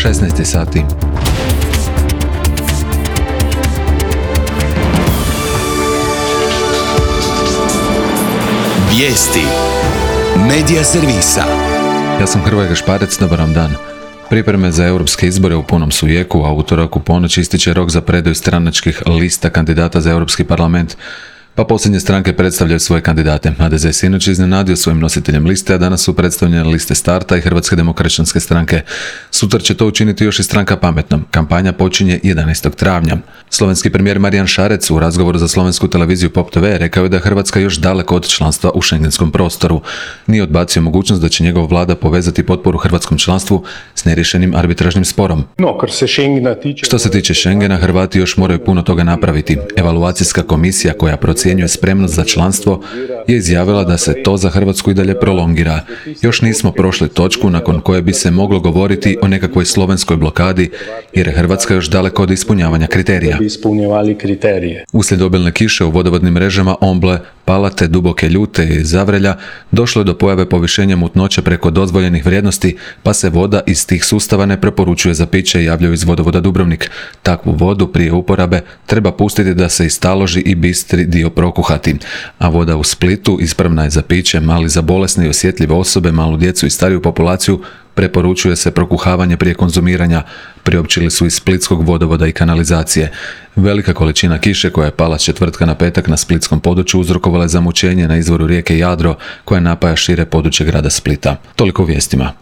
16 sati. Vijesti Medija servisa. Ja sam Hrvoje Gašparec, dobar vam dan. Pripreme za europske izbore u punom su jeku, a utorak u ponoć ističe rok za predaju stranačkih lista kandidata za Europski parlament. Pa posljednje stranke predstavljaju svoje kandidate. HDZ je sinoć iznenadio svojim nositeljem liste, a danas su predstavljene liste Starta i Hrvatske demokršćanske stranke. Sutra će to učiniti još i stranka Pametnom. Kampanja počinje 11. travnja. Slovenski premijer Marijan Šarec u razgovoru za slovensku televiziju Pop TV rekao je da je Hrvatska još daleko od članstva u šengenskom prostoru. Nije odbacio mogućnost da će njegova vlada povezati potporu hrvatskom članstvu s nerješenim arbitražnim sporom. Što se tiče Schengena, Hrvati još moraju puno toga napraviti. Evaluacijska komisija koja procjenjuje spremnost za članstvo je izjavila da se to za Hrvatsku i dalje prolongira. Još nismo prošli točku nakon koje bi se moglo govoriti o nekakvoj slovenskoj blokadi, jer je Hrvatska još daleko od ispunjavanja kriterija. Uslijed obilne kiše u vodovodnim mrežama Omble, Palate, Duboke Ljute i Zavrelja došlo je do pojave povišenja mutnoće preko dozvoljenih vrijednosti, pa se voda iz tih sustava ne preporučuje za piće, javljaju iz vodovoda Dubrovnik. Takvu vodu prije uporabe treba pustiti da se istaloži i bistri dio prokuhati. A voda u Splitu ispravna je za piće, ali za bolesne i osjetljive osobe, malu djecu i stariju populaciju preporučuje se prokuhavanje prije konzumiranja, priopćili su iz splitskog vodovoda i kanalizacije. Velika količina kiše koja je pala s četvrtka na petak na splitskom području uzrokovala je zamućenje na izvoru rijeke Jadro koja napaja šire područje grada Splita. Toliko u vijestima.